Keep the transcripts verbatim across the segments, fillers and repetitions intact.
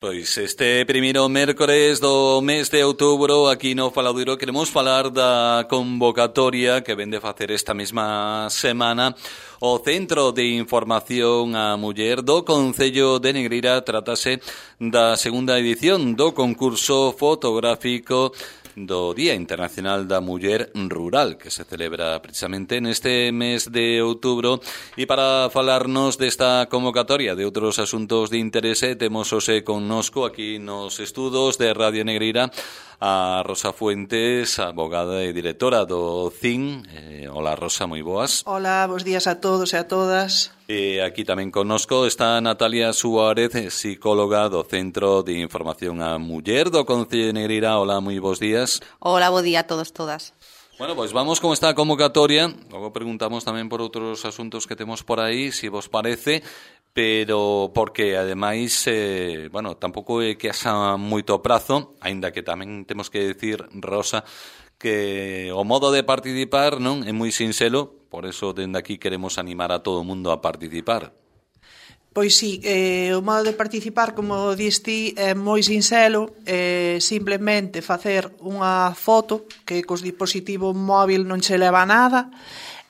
Pois este primeiro mércores do mes de outubro aquí no Faladoiro queremos falar da convocatoria que vende facer esta mesma semana o Centro de Información á Muller do Concello de Negreira. Trátase da segunda edición do concurso fotográfico do Día Internacional da Muller Rural, que se celebra precisamente neste mes de outubro. E para falarnos desta convocatoria de outros asuntos de interese, temos hoxe connosco aquí nos estudos de Radio Negreira a Rosa Fuentes, abogada e directora do C I N. Eh, hola Rosa, moi boas. Hola, bos días a todos e a todas. E aquí tamén connosco está Natalia Suárez, psicóloga do Centro de Información á Muller do Concello de Negreira. Hola, moi bos días. Hola, bo día a todos, todas. Bueno, pois vamos con esta convocatoria. Logo preguntamos tamén por outros asuntos que temos por aí, se vos parece, pero porque ademais, eh, bueno, tampouco é que haxa moito prazo, aínda que tamén temos que decir, Rosa, que o modo de participar non é moi sinxelo, por eso dende aquí queremos animar a todo o mundo a participar. Pois sí, eh, o modo de participar, como dis ti, é moi sinxelo, eh, simplemente facer unha foto que cos dispositivo móvil non che leva nada,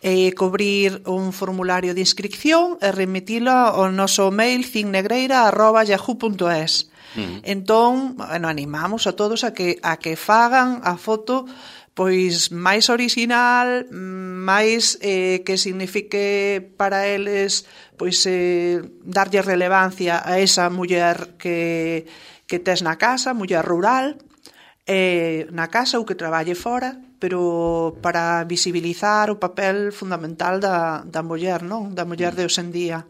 e cobrir un formulario de inscripción e remitilo ao noso mail cinnegreira arroba yahoo punto es. Uh-huh. Entón, bueno, animamos a todos a que a que fagan a foto pois máis original, máis eh, que signifique para eles pois eh, darlle relevancia a esa muller que, que tes na casa, muller rural, eh, na casa ou que traballe fora, pero para visibilizar o papel fundamental da, da muller, non? Da muller de hoxe en día.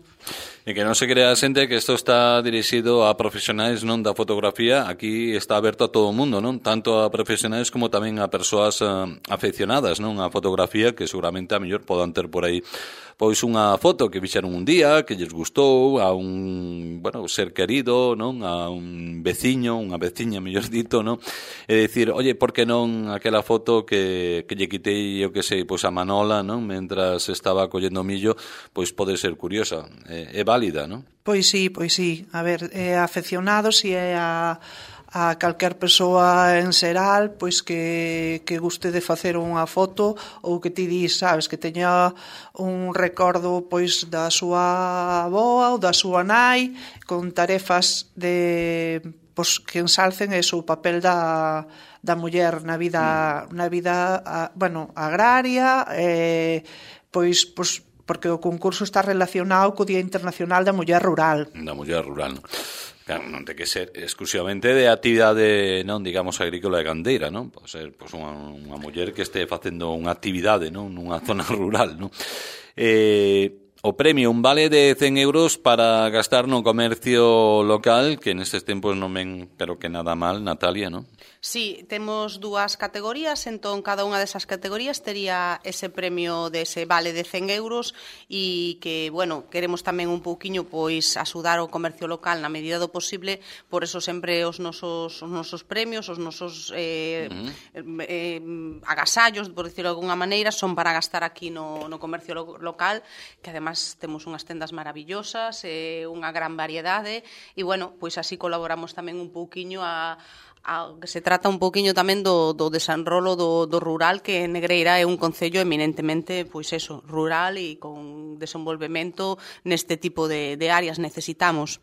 E que non se crea a xente que isto está dirixido a profesionais non da fotografía. Aquí está aberto a todo o mundo, non? Tanto a profesionais como tamén a persoas uh, afeccionadas, non? A fotografía, que seguramente a mellor podan ter por aí pois unha foto que fixeron un día, que lles gustou, a un, bueno, ser querido, non? A un veciño, unha veciña, mellor dito, non? E dicir, oye, por que non aquela foto que, que lle quitei, eu que sei, pois a Manola, non? Mentras estaba collendo millo, pois pode ser curiosa, é, é válida, non? Pois sí, pois sí. A ver, é afeccionados e é a... a calquer persoa en xeral pois que, que guste de facer unha foto ou que ti dis, sabes, que teña un recordo pois da súa avoa ou da súa nai con tarefas de pois que ensalcen eso, o papel da, da muller na vida, mm. na vida a, bueno, agraria, eh, pois, pois porque o concurso está relacionado co Día Internacional da Muller Rural. Da Muller Rural. Claro, non ten que ser exclusivamente de actividade, non, digamos, agrícola e gandeira, non? Pode ser pois, unha, unha muller que este facendo unha actividade, non, nunha zona rural, non? Eh, o premio, un vale de cen euros para gastar no comercio local, que nestes tempos non ven, pero que nada mal, Natalia, non? Sí, temos dúas categorías, entón cada unha desas categorías tería ese premio dese vale de cen euros e que, bueno, queremos tamén un pouquiño pois axudar o comercio local na medida do posible, por eso sempre os nosos, os nosos premios, os nosos eh, uh-huh. eh, agasallos, por decirlo de alguna maneira, son para gastar aquí no, no comercio lo, local, que además temos unhas tendas maravillosas, eh, unha gran variedade e, bueno, pois así colaboramos tamén un pouquiño a A, que se trata un pouquiño tamén do, do desenrolo do, do rural, que Negreira é un concello eminentemente, pois eso, rural e con desenvolvemento neste tipo de, de áreas necesitamos.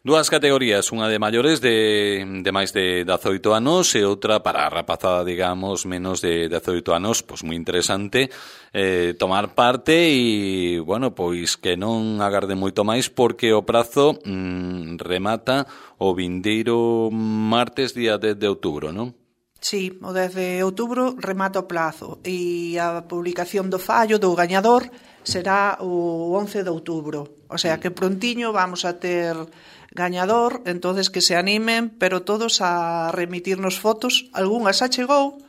Dúas categorías, unha de maiores de, de máis de dezaoito anos e outra para a rapazada, digamos, menos de dezaoito anos, pois moi interesante eh, tomar parte e, bueno, pois que non agarde moito máis porque o prazo mm, remata o vindeiro martes día dez de outubro, non? Sí, o dez de outubro remata o plazo e a publicación do fallo do gañador será o once de outubro. O sea que prontiño vamos a ter gañador, entonces que se animen, pero todos a remitirnos fotos, algunhas xa chegou,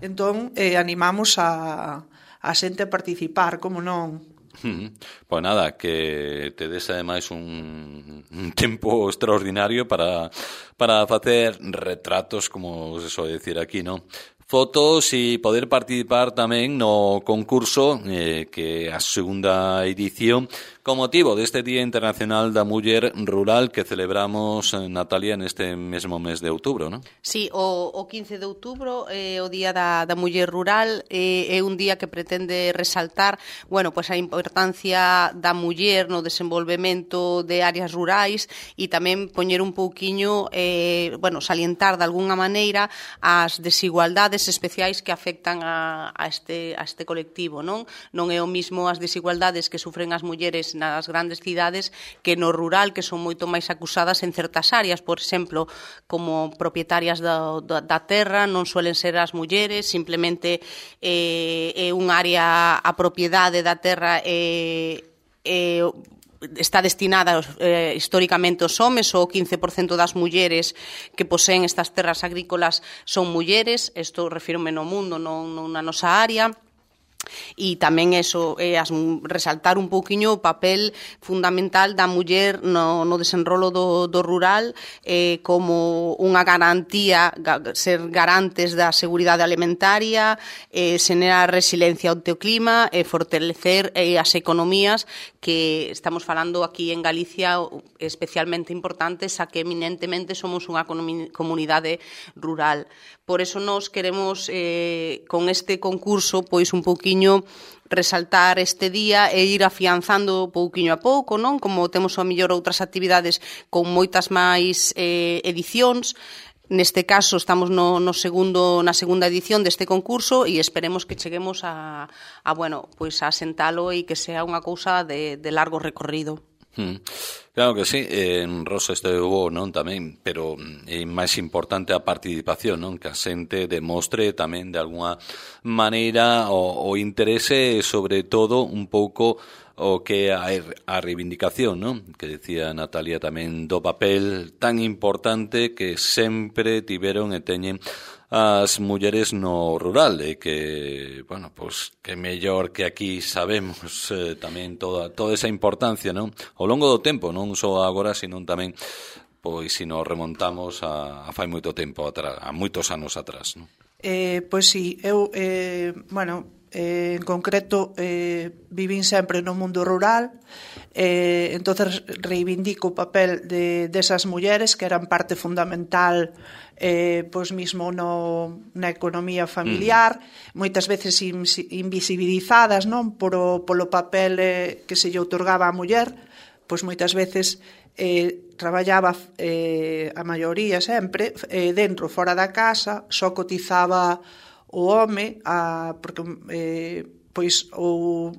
entón eh, animamos a, a xente a participar, como non. Uh-huh. Pois nada, que te des ademais un, un tempo extraordinario para, para facer retratos, como se soe decir aquí, non? Fotos e poder participar tamén no concurso eh, que a segunda edición con motivo deste Día Internacional da Muller Rural que celebramos, Natalia, neste mesmo mes de outubro, non? Sí, o, o quince de outubro é eh, o Día da, da Muller Rural, eh, é un día que pretende resaltar, bueno, pues a importancia da muller no desenvolvemento de áreas rurais e tamén poñer un pouquiño, eh, bueno, salientar de algunha maneira as desigualdades especiais que afectan a, a, este, a este colectivo, non? Non é o mismo as desigualdades que sufren as mulleres nas grandes cidades que no rural, que son moito máis acusadas en certas áreas, por exemplo, como propietarias da, da, da terra, non suelen ser as mulleres, simplemente eh, é un área, a propiedade da terra é, é está destinada eh, históricamente aos homes, ou o quince por cento das mulleres que poseen estas terras agrícolas son mulleres, isto refírome no mundo, non, non na nosa área. E tamén eso, é as, resaltar un pouquiño o papel fundamental da muller no, no desenrolo do, do rural eh, como unha garantía, ser garantes da seguridade alimentaria, eh, xenerar resiliencia ao teu clima e eh, fortalecer eh, as economías que estamos falando aquí en Galicia especialmente importantes, a que eminentemente somos unha comunidade rural. Por eso nos queremos, eh, con este concurso, pois un pouquiño resaltar este día e ir afianzando pouquiño a pouco, non? Como temos a mellor outras actividades con moitas máis eh, edicións. Neste caso estamos no, no segundo, na segunda edición deste concurso e esperemos que cheguemos a, a bueno, pois a sentalo e que sea unha cousa de, de largo recorrido. Hmm. Claro que sí, en Rosa esteve non tamén, pero é máis importante a participación, non? Que a xente demostre tamén de alguna maneira o, o interese e sobre todo un pouco o que a, a reivindicación, non? Que decía Natalia tamén do papel tan importante que sempre tiveron e teñen as mulleres no rural e que, bueno, pues que mellor que aquí sabemos eh, tamén toda toda esa importancia, non? Ao longo do tempo, non só agora, sino tamén pois se nos remontamos a, a fai moito tempo atrás, a moitos anos atrás, non? Eh, pois sí, eu, eh, bueno, eh, en concreto eh, vivín sempre no mundo rural, eh, entonces reivindico o papel de desas mulleres que eran parte fundamental eh, pois mismo no, na economía familiar, mm. moitas veces in, invisibilizadas, non, polo, polo papel eh, que se lle outorgaba á muller, pois moitas veces eh, traballaba eh, a maioría sempre eh, dentro, fora da casa, só cotizaba o home a, porque eh, pois o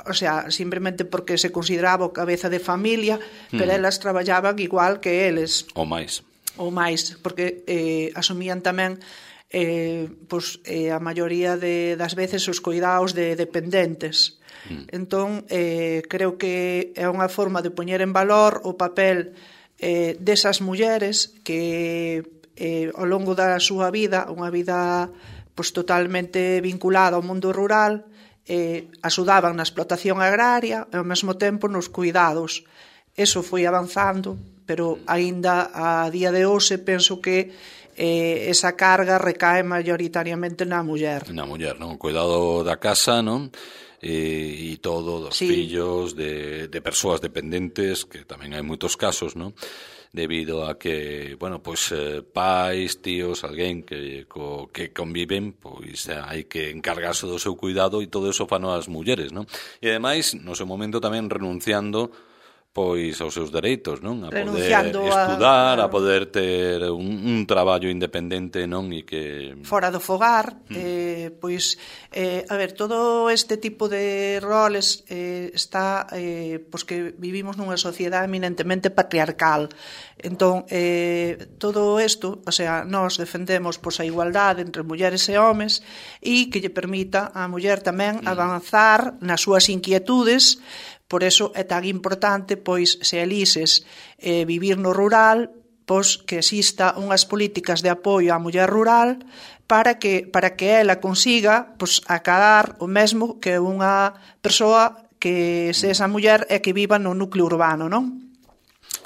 o sea, simplemente porque se consideraba o cabeza de familia, mm. pero elas traballaban igual que eles. Ou máis. Ou máis, porque eh, asumían tamén eh, pois, eh, a maioría de, das veces os cuidados de dependentes. Mm. Entón, eh, creo que é unha forma de poñer en valor o papel eh, desas mulleres que eh, ao longo da súa vida, unha vida pois, totalmente vinculada ao mundo rural, eh, axudaban na explotación agraria e ao mesmo tempo nos cuidados. Eso foi avanzando, pero aínda a día de hoxe penso que eh, esa carga recae maioritariamente na muller. Na muller, non? O cuidado da casa, non? E, e todo, dos sí. fillos, de, de persoas dependentes, que tamén hai moitos casos, non? Debido a que, bueno, pois eh, pais, tíos, alguén que co, que conviven, pois eh, hai que encargarse do seu cuidado e todo eso fano as mulleres, non? E ademais, no seu momento tamén renunciando pois aos seus dereitos, non? A poder estudar, a, a poder ter un, un traballo independente, non? E que fora do fogar, mm. eh, pois eh, a ver, todo este tipo de roles eh, está eh, pois que vivimos nunha sociedade eminentemente patriarcal. Entón, eh, todo isto, o sea, nós defendemos pois a igualdade entre mulleres e homes e que lle permita á muller tamén mm. avanzar nas súas inquietudes. Por eso é tan importante, pois, se elises eh, vivir no rural, pois que exista unhas políticas de apoio á muller rural para que para que ela consiga pois acadar o mesmo que unha persoa que se esa muller é que viva no núcleo urbano, non?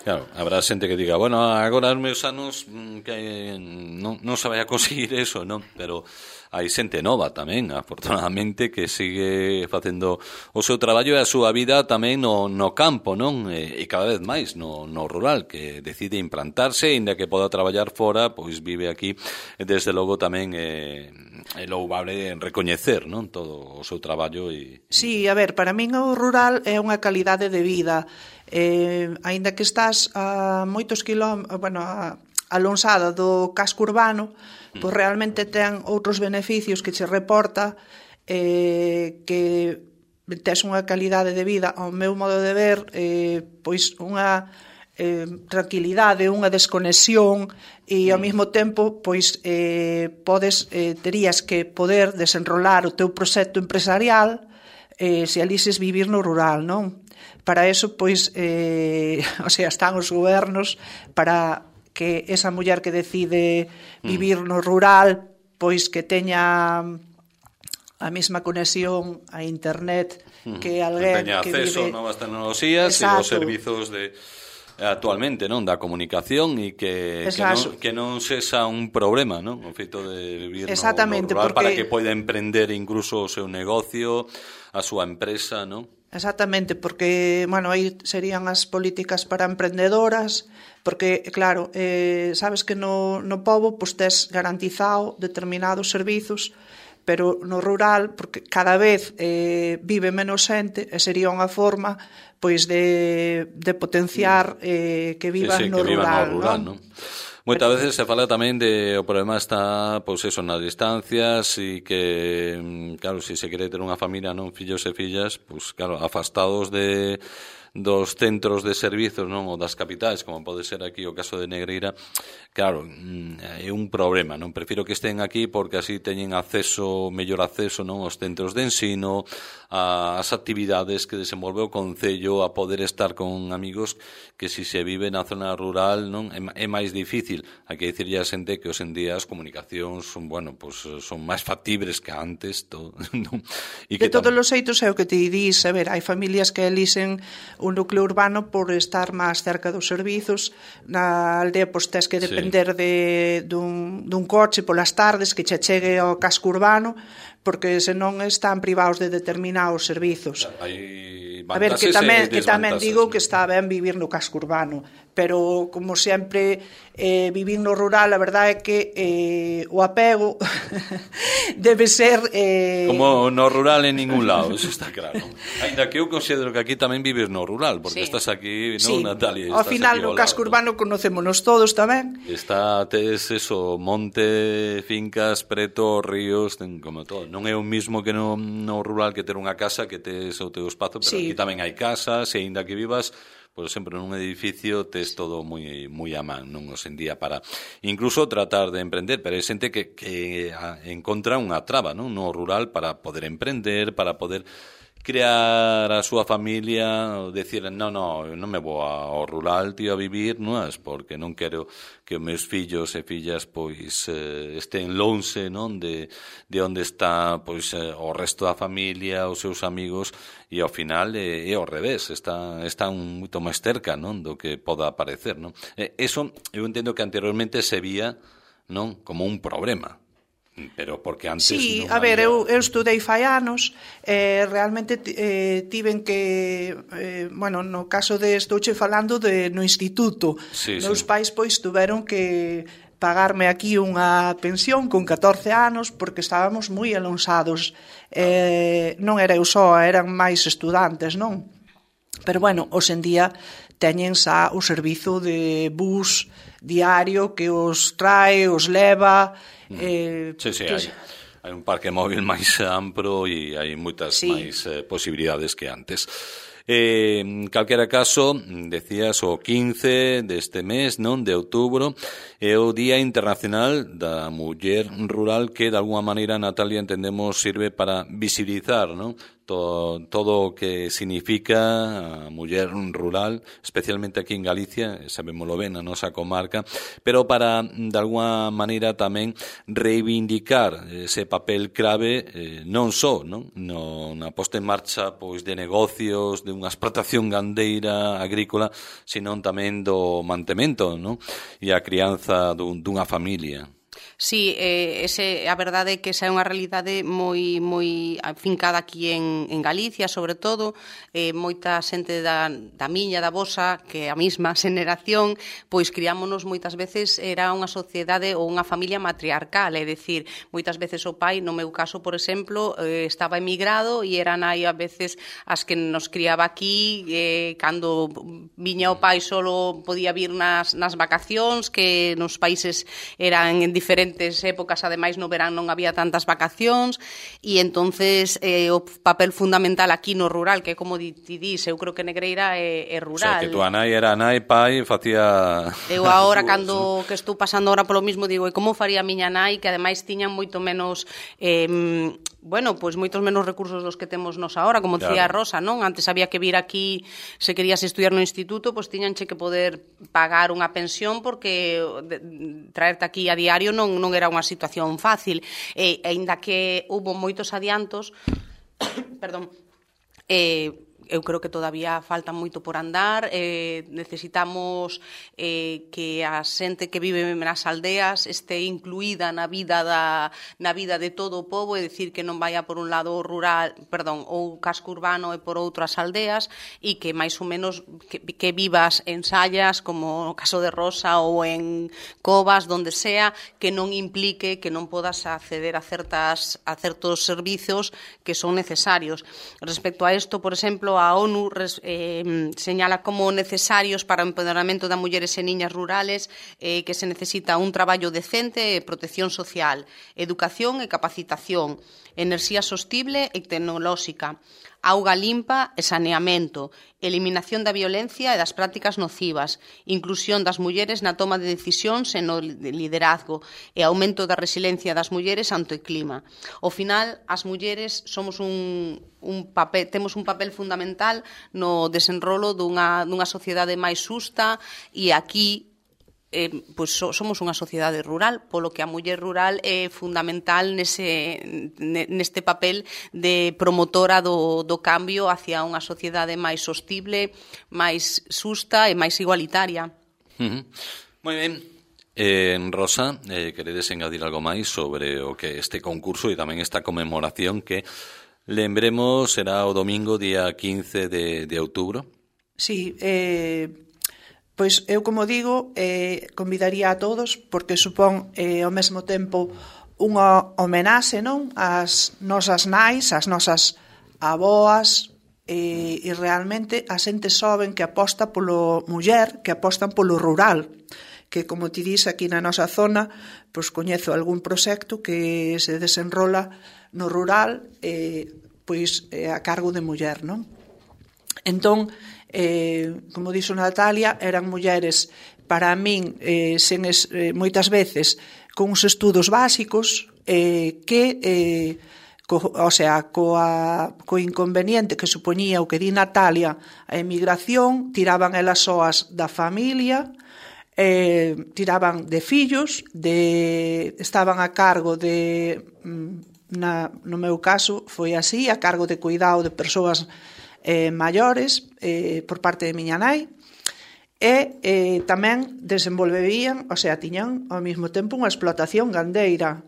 Claro, habrá xente que diga, bueno, agora os meus anos que non, non se vai a conseguir eso, non? Pero hai xente nova tamén, afortunadamente, que sigue facendo o seu traballo e a súa vida tamén no, no campo, non? E, e cada vez máis no, no rural, que decide implantarse, e ainda que poda traballar fora, pois vive aquí, e desde logo tamén é, é louvable recoñecer, non? Todo o seu traballo e... Sí, a ver, para min o rural é unha calidade de vida. Eh, aínda que estás a moitos quilómetros, bueno, a, a lonxada do casco urbano, pois realmente ten outros beneficios que che reporta, eh, que tes unha calidade de vida, ao meu modo de ver, eh, pois unha eh, tranquilidade, unha desconexión, e ao mesmo tempo pois eh, podes, eh, terías que poder desenrolar o teu proxecto empresarial eh, se alises vivir no rural, non? Para eso, pois, eh, o sea, están os gobernos para que esa muller que decide vivir no rural, pois que teña a mesma conexión a internet que alguén teña que acceso vive... a novas tecnoloxías e os servizos de actualmente, non, da comunicación e que, que, non, que non sexa un problema, non? O feito de vivir no, no rural porque... para que poida emprender incluso o seu negocio, a súa empresa, non? Exactamente, porque, bueno, aí serían as políticas para emprendedoras, porque, claro, eh, sabes que no, no pobo pues, tes garantizado determinados servizos, pero no rural, porque cada vez eh, vive menos xente, e sería unha forma pois de, de potenciar eh, que vivas sí, sí, no, que rural, no rural, non? ¿no? Moitas veces se fala tamén de o problema está, pois eso, nas distancias e que, claro, se se quere ter unha familia, non, fillos e fillas, pois claro, afastados de dos centros de servizos, non, ou das capitais, como pode ser aquí o caso de Negreira, claro, é un problema, non? Prefiro que estén aquí porque así teñen acceso, mellor acceso, non, aos centros de ensino, ás actividades que desenvolve o concello, a poder estar con amigos que si se vive na zona rural, non, é máis difícil. Hai que dicirlle a xente que hoxe en día as comunicacións son, bueno, pues son máis factibles que antes, todo, non? E que de todos os xeitos é o que te dís, a ver, hai familias que elixen un núcleo urbano por estar máis cerca dos servizos, na aldea pois tes que depender sí. de dun, dun coche polas tardes que che chegue ao casco urbano, porque senón están privados de determinados servizos. Hai a ver, que tamén, que tamén digo que está ben vivir no casco urbano, pero como sempre eh, vivir no rural, a verdade é que eh, o apego debe ser eh... como no rural en ningún lado, eso está claro. Ainda que eu considero que aquí tamén vives no rural, porque sí. estás aquí, sí. non, Natalia? Ao final no casco urbano conocémonos todos tamén. Está, tes eso, monte, fincas, preto, ríos, ten como todo. Non é o mismo que no, no rural que ter unha casa que tes o teu espazo, pero sí. aquí tamén hai casas, e aínda que vivas, por exemplo, nun edificio tes todo moi moi a man, non hoxe en día para incluso tratar de emprender, pero hai xente que, que encontra unha traba, non, no rural para poder emprender, para poder crear a súa familia, decir, no, no, non me vou ao rural, tío, a vivir, non es, porque non quero que os meus fillos e fillas pois eh, estén lonxe, non, de, de onde está pois eh, o resto da familia, os seus amigos, e ao final é, é ao revés, está, están moito máis cerca, non, do que poda aparecer, non? Eh, eso eu entendo que anteriormente se vía, non, como un problema. Pero porque antes sí, non a ver, había... eu, eu estudei fai anos, eh, realmente eh, tiven que, eh, bueno, no caso de, estouche falando de no instituto, sí, meus sí. pais pois tuveron que pagarme aquí unha pensión con catorce anos porque estábamos moi alonsados, eh, non era eu só, eran máis estudantes, non? Pero bueno, hoxe en día teñen xa o servizo de bus diario que os trae, os leva. Eh, sí, sí, hai, hai un parque móvil máis amplo e hai moitas sí. máis eh, posibilidades que antes. Eh, en calquera caso, decías o quince deste mes, non, de outubro, é o Día Internacional da Muller Rural que, de alguma maneira, Natalia, entendemos, sirve para visibilizar, non, todo, todo o que significa a muller rural, especialmente aquí en Galicia, sabémoslo ben, a nosa comarca, pero para, de alguna maneira, tamén reivindicar ese papel clave, eh, non só, non? No, na posta en marcha pois de negocios, de unha explotación gandeira, agrícola, senón tamén do mantemento, non? E a crianza dun, dunha familia. Sí, eh, ese, a verdade é que esa é unha realidade moi moi afincada aquí en, en Galicia, sobre todo, eh, moita xente da, da miña, da vosa, que a mesma xeneración, pois criámonos moitas veces, era unha sociedade ou unha familia matriarcal, é dicir, moitas veces o pai, no meu caso, por exemplo, eh, estaba emigrado e era nai a veces as que nos criaba aquí, eh, cando viña o pai solo podía vir nas, nas vacacións, que nos países eran en diferentes épocas, ademais no verán non había tantas vacacións, e entonces eh, o papel fundamental aquí no rural, que como ti dis, eu creo que Negreira é, é rural. O sea, que tu nai era nai, pai, facía... Eu agora, cando que estou pasando ahora polo mismo, digo, e como faría a miña nai, que ademais tiñan moito menos... Eh, bueno, pois moitos menos recursos dos que temos nos ahora, como dicía claro. Rosa, non? Antes había que vir aquí, se querías estudiar no instituto, pois tiñanche que poder pagar unha pensión, porque de, traerte aquí a diario non, non era unha situación fácil. E, aínda que hubo moitos adiantos, perdón, eh, eu creo que todavía falta moito por andar, eh, necesitamos eh, que a xente que vive nas aldeas este incluída na vida da na vida de todo o pobo, é dicir, que non vaya por un lado rural, perdón, ou casco urbano e por outras aldeas, e que máis ou menos que, que vivas en Sallas, como no caso de Rosa, ou en Covas, donde sea, que non implique que non podas acceder a certas a certos servizos que son necesarios. Respecto a isto, por exemplo, a ONU eh, señala como necesarios para o empoderamento das mulleres e niñas rurales eh, que se necesita un traballo decente e protección social, educación e capacitación, enerxía sostible e tecnolóxica, auga limpa e saneamento, eliminación da violencia e das prácticas nocivas, inclusión das mulleres na toma de decisións e no liderazgo e aumento da resiliencia das mulleres ante o clima. Ao final, as mulleres somos un, un papel, temos un papel fundamental no desenrolo dunha, dunha sociedade máis xusta, e aquí Eh, pois so, somos unha sociedade rural, polo que a muller rural é fundamental nese, neste papel de promotora do, do cambio hacia unha sociedade máis sostible, máis xusta e máis igualitaria. Uh-huh. Moi ben. Eh, Rosa, eh, queredes engadir algo máis sobre o que este concurso e tamén esta conmemoración que, lembremos, será o domingo día quince de, de outubro? Sí, eh... Pois eu, como digo, eh, convidaría a todos, porque supón eh, ao mesmo tempo unha homenaxe, non? As nosas nais, as nosas aboas, e, e realmente a xente xoven que aposta polo muller, que apostan polo rural, que, como ti dis, aquí na nosa zona, pois coñezo algún proxecto que se desenrola no rural, eh, pois eh, a cargo de muller, non? Entón, eh, como dixo Natalia, eran mulleres, para min, eh, sen es, eh, moitas veces, con uns estudos básicos, eh, que, eh, co, o sea, coa, co inconveniente que supoñía o que di Natalia, a emigración, tiraban elas soas da familia, eh, tiraban de fillos, de, estaban a cargo de, na, no meu caso, foi así, a cargo de cuidado de persoas Eh, maiores eh, por parte de miña nai, e eh, tamén desenvolverían, o sea, tiñan ao mesmo tempo unha explotación gandeira,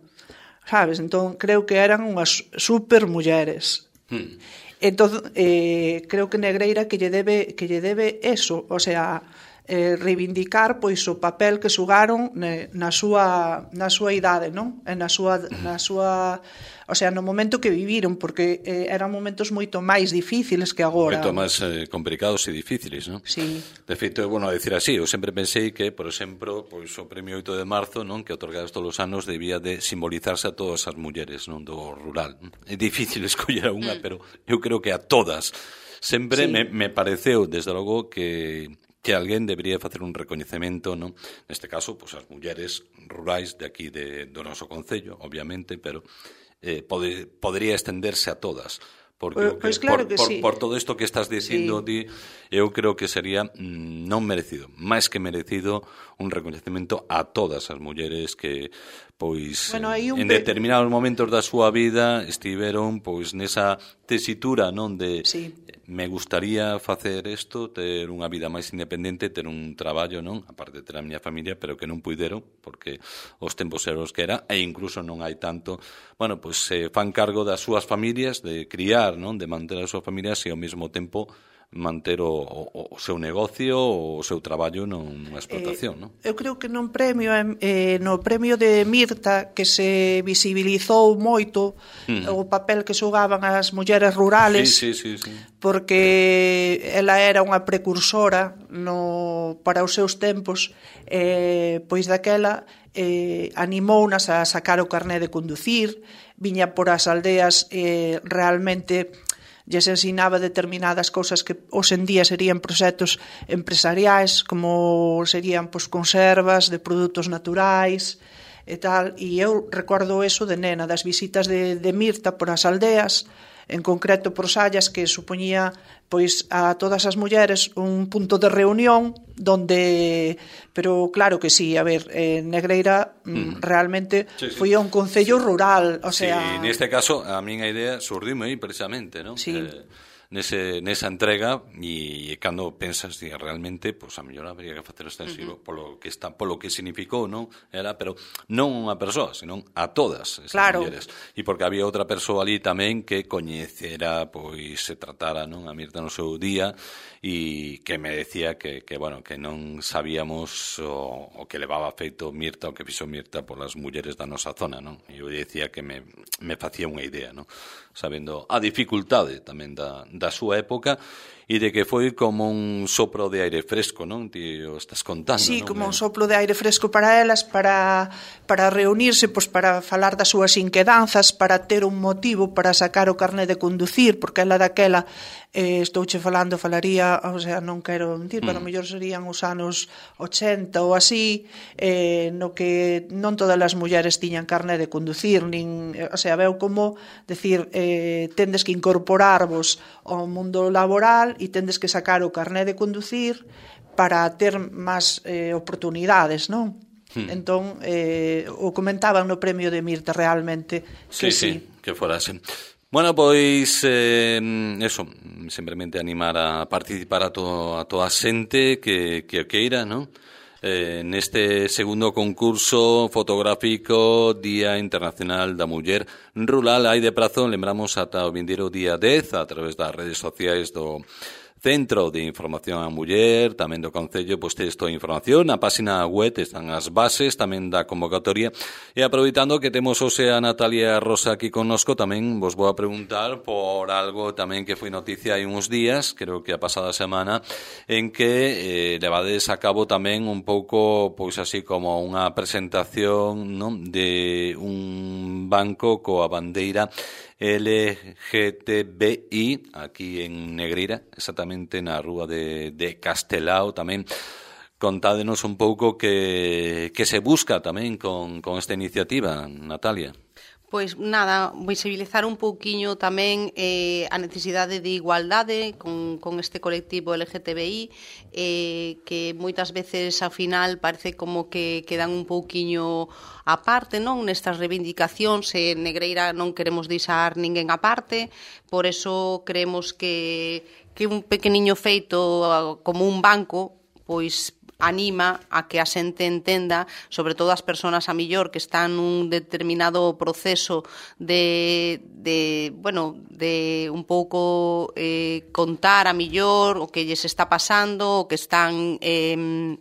sabes? Entón creo que eran unhas super mulleres. Hmm. Entón eh, creo que Negreira que lle debe que lle debe eso, o sea, eh, reivindicar pois o papel que xugaron ne, na súa na súa idade, non? E na súa na súa O sea, no momento que viviron, porque eh, eran momentos moito máis difíciles que agora. Moito máis eh, complicados e difíciles, non? Sí. De feito, é bueno decir así, eu sempre pensei que, por exemplo, pois o premio oito de marzo, non, que otorgados todos os anos, debía de simbolizarse a todas as mulleres, non, do rural. É difícil escoller a unha, pero eu creo que a todas. Sempre sí. me, me pareceu, desde logo, que que alguén debería facer un recoñecemento, non? Neste caso, pois as mulleres rurais de aquí de, do noso concello, obviamente, pero eh, pode, podría estenderse a todas, porque pois claro por, que por, sí. por todo isto que estás dicindo, sí. di, eu creo que sería mm, non merecido, máis que merecido, un recoñecemento a todas as mulleres que pois bueno, en, en pe... determinados momentos da súa vida estiveron pois nesa tesitura, non, de sí. me gustaría facer isto, ter unha vida máis independente, ter un traballo, non, aparte de ter a miña familia, pero que non puideron porque os tempos eran os que era, e incluso non hai tanto, bueno, pois se fan cargo das súas familias, de criar, non, de manter as súas familias e ao mesmo tempo manter o, o, o seu negocio, o seu traballo nunha explotación, eh, non? Eu creo que nun premio, eh, no premio de Mirta, que se visibilizou moito uh-huh. o papel que xogaban as mulleres rurales, sí, sí, sí, sí. porque ela era unha precursora no, para os seus tempos, eh, pois daquela eh, animounas a sacar o carné de conducir, viña por as aldeas eh, realmente lles ensinaba determinadas cousas que hoxe en día serían proxectos empresariais, como serían pois, conservas de produtos naturais e tal, e eu recordo eso de nena, das visitas de, de Mirta por as aldeas, en concreto por Sallas, que supoñía pois a todas as mulleres un punto de reunión donde, pero claro que sí, a ver, eh, Negreira mm. realmente sí, sí. foi un concello sí. rural, o sea... Sí, neste caso a miña idea surdime aí precisamente, non? Sí. Eh, nese, nesa entrega e cando pensas que realmente pois, a mellor habría que facer extensivo uh-huh. polo que está, polo que significou, non? Era, pero non unha persoa, senón a todas esas claro. mulleres. E porque había outra persoa ali tamén que coñecera, pois se tratara, non, a Mirta no seu día e que me decía que, que bueno, que non sabíamos o, o que levaba feito Mirta, o que fixo Mirta polas mulleres da nosa zona, non? E eu dicía que me, me facía unha idea, non? Sabendo a dificultade tamén da, da súa época e de que foi como un sopro de aire fresco, non? Ti o estás contando, sí, non? como un soplo de aire fresco para elas, para, para reunirse, pois para falar das súas inquedanzas, para ter un motivo para sacar o carné de conducir, porque ela daquela, eh, estouche falando, falaría, o sea, non quero mentir, mm. pero a mellor serían os anos ochenta ou así, eh, no que non todas as mulleres tiñan carné de conducir, nin, o sea, veu como decir, eh, tendes que incorporarvos ao mundo laboral e tendes que sacar o carné de conducir para ter máis eh, oportunidades, non? Hmm. Entón, eh, o comentaban no premio de Mirta realmente que sí. Sí, sí, que fora así. Bueno, pois, eh, eso, simplemente animar a participar a, to, a toda a xente que, que queira, non? Eh, neste segundo concurso fotográfico Día Internacional da Muller Rural hai de prazo, lembramos ata o vindeiro día dez a través das redes sociais do Centro de Información á Muller, tamén do Concello, pois texto de información, na página web están as bases tamén da convocatoria, e aproveitando que temos hoxe a Natalia Rosa aquí connosco, tamén vos vou a preguntar por algo tamén que foi noticia hai uns días, creo que a pasada semana, en que eh, levades a cabo tamén un pouco, pois así como unha presentación, non, de un banco coa bandeira L G T B I aquí en Negreira, exactamente na rúa de, de Castelao tamén. Contádenos un pouco que, que se busca tamén con, con esta iniciativa, Natalia. Pois nada, visibilizar un pouquiño tamén eh, a necesidade de igualdade con, con este colectivo L G T B I, eh, que moitas veces ao final parece como que quedan un pouquiño aparte, non? Nestas reivindicacións, en Negreira non queremos deixar ninguén aparte, por eso creemos que, que un pequeniño feito como un banco, pois anima a que a xente entenda, sobre todo as persoas a millor que están nun determinado proceso de, de bueno, de un pouco eh, contar a millor o que lles está pasando, o que están eh,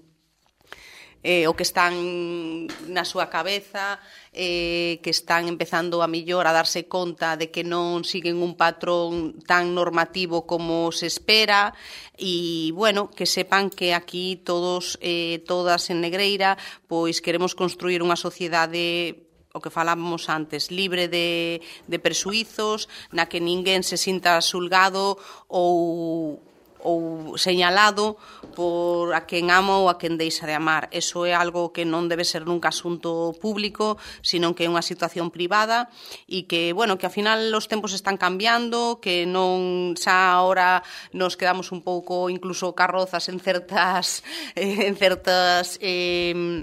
eh, o que están na súa cabeza, eh, que están empezando a millor a darse conta de que non siguen un patrón tan normativo como se espera e, bueno, que sepan que aquí todos, eh, todas en Negreira, pois queremos construir unha sociedade, o que falábamos antes, libre de, de presuizos, na que ninguén se sinta xulgado ou ou señalado por a quen ama ou a quen deixa de amar. Eso é algo que non debe ser nunca asunto público, sino que é unha situación privada e que, bueno, que ao final os tempos están cambiando, que non xa ahora nos quedamos un pouco incluso carrozas en certas eh, en certas eh,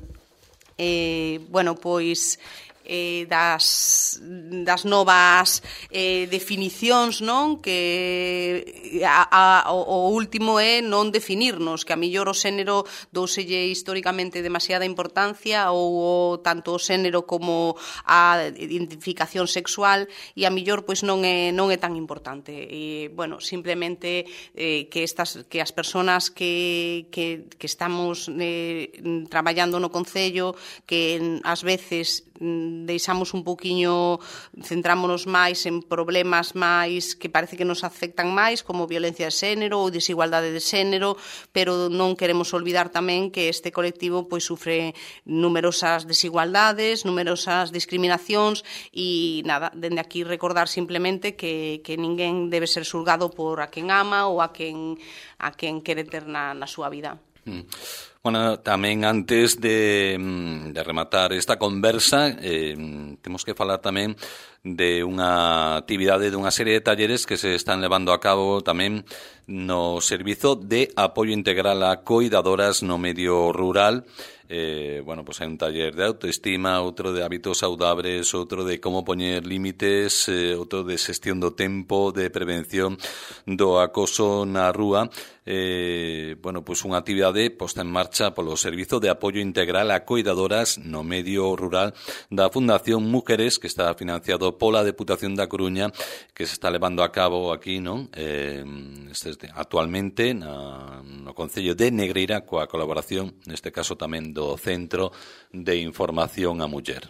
eh, bueno, pois eh, das, das novas eh, definicións, non? Que a, a, o último é non definirnos, que a millor o xénero douselle históricamente demasiada importancia ou o, tanto o xénero como a identificación sexual e a millor pois non é non é tan importante. E bueno, simplemente eh, que estas que as persoas que que que estamos eh, traballando no concello, que ás veces deixamos un pouquiño, centrámonos máis en problemas máis que parece que nos afectan máis, como violencia de xénero ou desigualdade de xénero, pero non queremos olvidar tamén que este colectivo pois sufre numerosas desigualdades, numerosas discriminacións e nada, dende aquí recordar simplemente que, que ninguén debe ser xulgado por a quen ama ou a quen, a quen quere ter na, na súa vida. Mm. Bueno, tamén antes de, de rematar esta conversa eh, temos que falar tamén de unha actividade, de unha serie de talleres que se están levando a cabo tamén no Servizo de Apoio Integral a Coidadoras no Medio Rural. Eh, bueno, pues hai un taller de autoestima, outro de hábitos saudables, outro de como poñer límites, eh, outro de xestión do tempo, de prevención do acoso na rúa. Eh, bueno, pues unha actividade posta en marcha polo Servizo de Apoio Integral a Coidadoras no Medio Rural da Fundación Mujeres, que está financiado pola Deputación da Coruña, que se está levando a cabo aquí, non? Eh, este, actualmente na, no Concello de Negreira, coa colaboración, neste caso tamén do Centro de Información á Muller.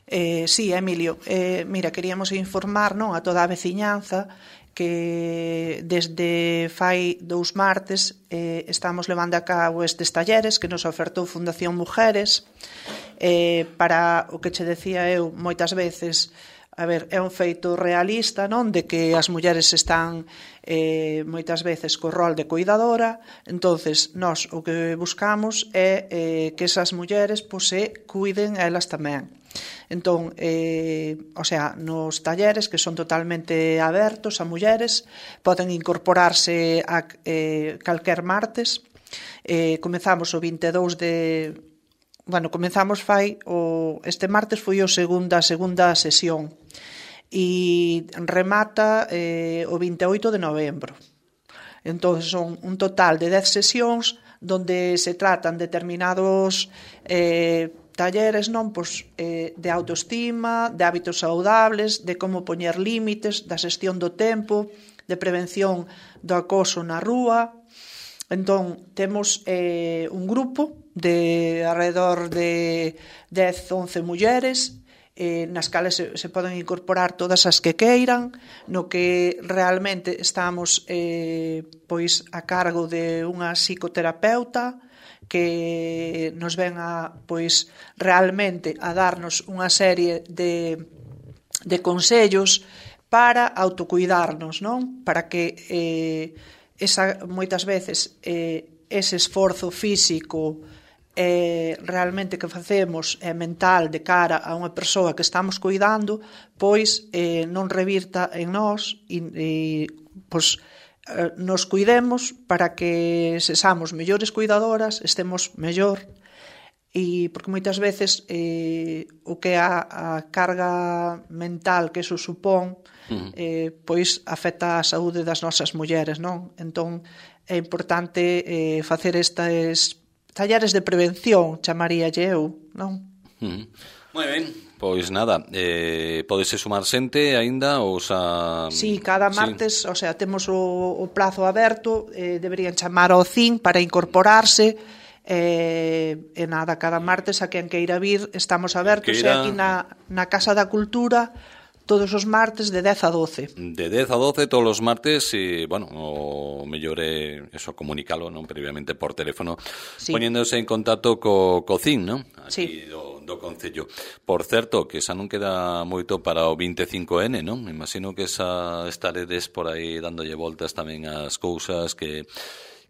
Eh, sí, Emilio, eh, mira, queríamos informar, non, a toda a veciñanza que desde fai dous martes eh, estamos levando a cabo estes talleres que nos ofertou Fundación Mujeres eh, para o que che decía eu moitas veces. A ver, é un feito realista, non? De que as mulleres están eh, moitas veces co rol de cuidadora, entonces nós o que buscamos é eh, que esas mulleres pois, se cuiden elas tamén. Entón, eh, o sea, nos talleres que son totalmente abertos a mulleres, poden incorporarse a eh, calquer martes. Eh, comezamos o vinte e dous de... Bueno, comenzamos fai o este martes foi o segunda segunda sesión e remata eh, o vinte e oito de novembro. Entón son un total de dez sesións donde se tratan determinados eh, talleres, non, pois, eh, de autoestima, de hábitos saudables, de como poñer límites, da xestión do tempo, de prevención do acoso na rúa. Entón, temos eh, un grupo de alrededor de dez, once mulleres eh, nas cales se, se poden incorporar todas as que queiran, no que realmente estamos eh, pois a cargo de unha psicoterapeuta que nos ven a pois realmente a darnos unha serie de, de consellos para autocuidarnos, non? Para que eh, esa, moitas veces eh, ese esforzo físico eh, realmente que facemos é mental de cara a unha persoa que estamos cuidando, pois eh, non revirta en nós e, e pois, eh, nos cuidemos para que sexamos mellores cuidadoras, estemos mellor, e porque moitas veces eh, o que a, a carga mental que eso supón uh-huh. eh, pois afecta a saúde das nosas mulleres, non? Entón é importante eh, facer estes talleres de prevención, chamaríalle eu, non? Uh-huh. Moi ben, pois nada, eh, podese sumar xente aínda ou xa... Sí, cada martes, sí. O sea, temos o, o plazo aberto, eh, deberían chamar ao C I N para incorporarse, eh, e nada, cada martes a quen queira vir estamos abertos, e aquí na, na Casa da Cultura todos os martes de dez a doce. De dez a doce todos os martes e, bueno, o mellor é eso, comunicalo, non, previamente por teléfono, sí, poñéndose en contacto co Cocín, non? Aquí sí, do, do Concello. Por certo, que xa non queda moito para o vinte e cinco ene, non? Imagino que xa estaredes por aí dándolle voltas tamén ás cousas que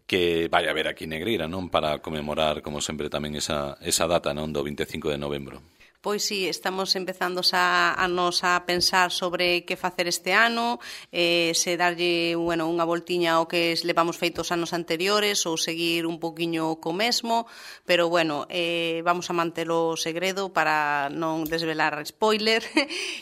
que vai haber aquí en Negreira, non? Para conmemorar, como sempre, tamén esa, esa data, non? Do vinte e cinco de novembro. Pois sí, estamos empezando a, a nos a pensar sobre que facer este ano, eh, se darlle, bueno, unha voltiña ao que levamos feitos anos anteriores ou seguir un poquiño co mesmo, pero bueno, eh, vamos a mantelo segredo para non desvelar spoiler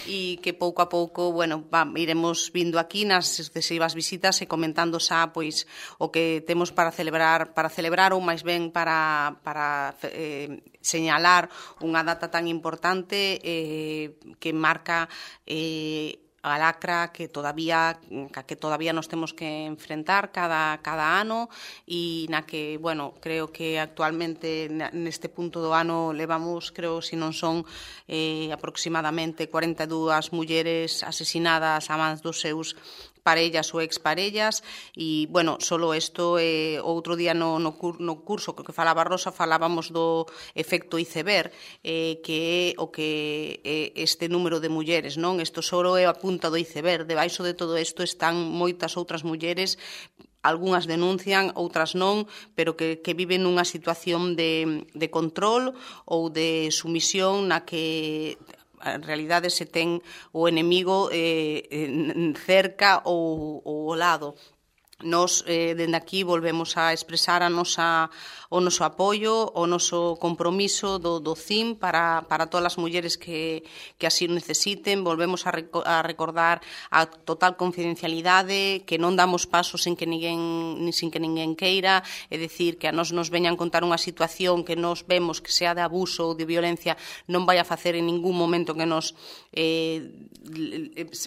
e que pouco a pouco, bueno, va, iremos vindo aquí nas sucesivas visitas e comentando xa pois o que temos para celebrar, para celebrar ou máis ben para para eh, señalar unha data tan importante eh, que marca eh, a lacra que todavía que todavía nos temos que enfrentar cada cada ano e na que, bueno, creo que actualmente neste punto do ano levamos, creo, se non son eh, aproximadamente cuarenta e dúas mulleres asesinadas a mans dos seus parellas ou exparellas e, bueno, solo isto, eh, outro día no, no, no curso que falaba Rosa falábamos do efecto iceberg, eh, que é o que é este número de mulleres, non? Isto só é a punta do iceberg, debaixo de todo isto están moitas outras mulleres, algunhas denuncian, outras non, pero que, que viven nunha situación de, de control ou de sumisión na que en realidade se ten o enemigo eh, cerca ou, ou ao lado. Nos, eh, dende aquí, volvemos a expresar a nosa, o noso apoio, o noso compromiso do, do C I M para, para todas as mulleres que, que así necesiten. Volvemos a, reco a recordar a total confidencialidade, que non damos pasos sin que ninguén, sin que ninguén queira, é dicir, que a nos nos veñan contar unha situación que nos vemos que sea de abuso ou de violencia, non vai a facer en ningún momento que nos eh,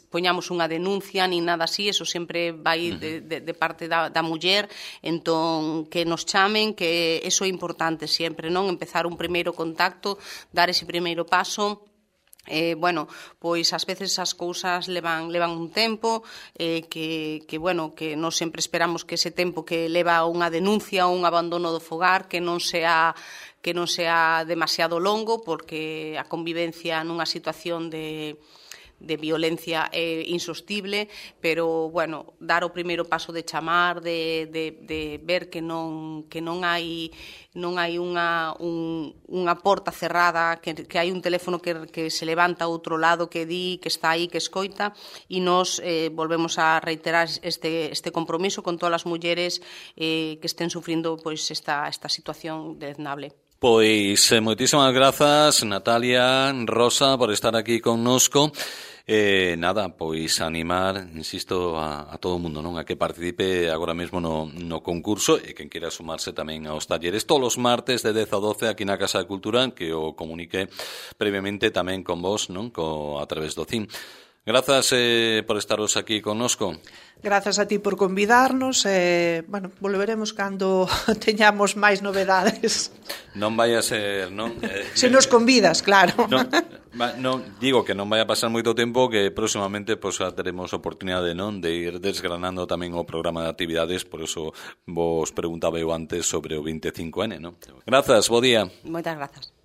poñamos unha denuncia ni nada así, eso sempre vai de, de, de parte da, da muller, entón que nos chamen, que eso é importante sempre, non? Empezar un primeiro contacto, dar ese primeiro paso. Eh, bueno, pois ás veces as cousas levan, levan un tempo eh, que, que, bueno, que non sempre esperamos que ese tempo que leva unha denuncia ou un abandono do fogar que non sea que non sea demasiado longo, porque a convivencia nunha situación de de violencia é insostible, pero, bueno, dar o primeiro paso de chamar, de, de, de ver que non, que non hai non hai unha, un, unha porta cerrada, que, que hai un teléfono que, que se levanta a outro lado, que di, que está aí, que escoita, e nos eh, volvemos a reiterar este, este compromiso con todas as mulleres eh, que estén sufrindo pois, esta, esta situación deznable. Pois eh, moitísimas grazas, Natalia, Rosa, por estar aquí connosco. Eh, nada, pois animar, insisto, a, a todo o mundo, non, a que participe agora mesmo no, no concurso e quen queira sumarse tamén aos talleres todos os martes de dez a doce aquí na Casa de Cultura, que o comunique previamente tamén con vos, non, co, a través do C I M. Grazas eh, por estaros aquí connosco. Grazas a ti por convidarnos e, eh, bueno, volveremos cando teñamos máis novedades. Non vai a ser, non? Se nos convidas, claro. Non, non, digo que non vai a pasar moito tempo, que próximamente pues, teremos oportunidade, non, de ir desgranando tamén o programa de actividades, por eso vos preguntaba eu antes sobre o vinte e cinco ene, non? Grazas, bo día. Moitas grazas.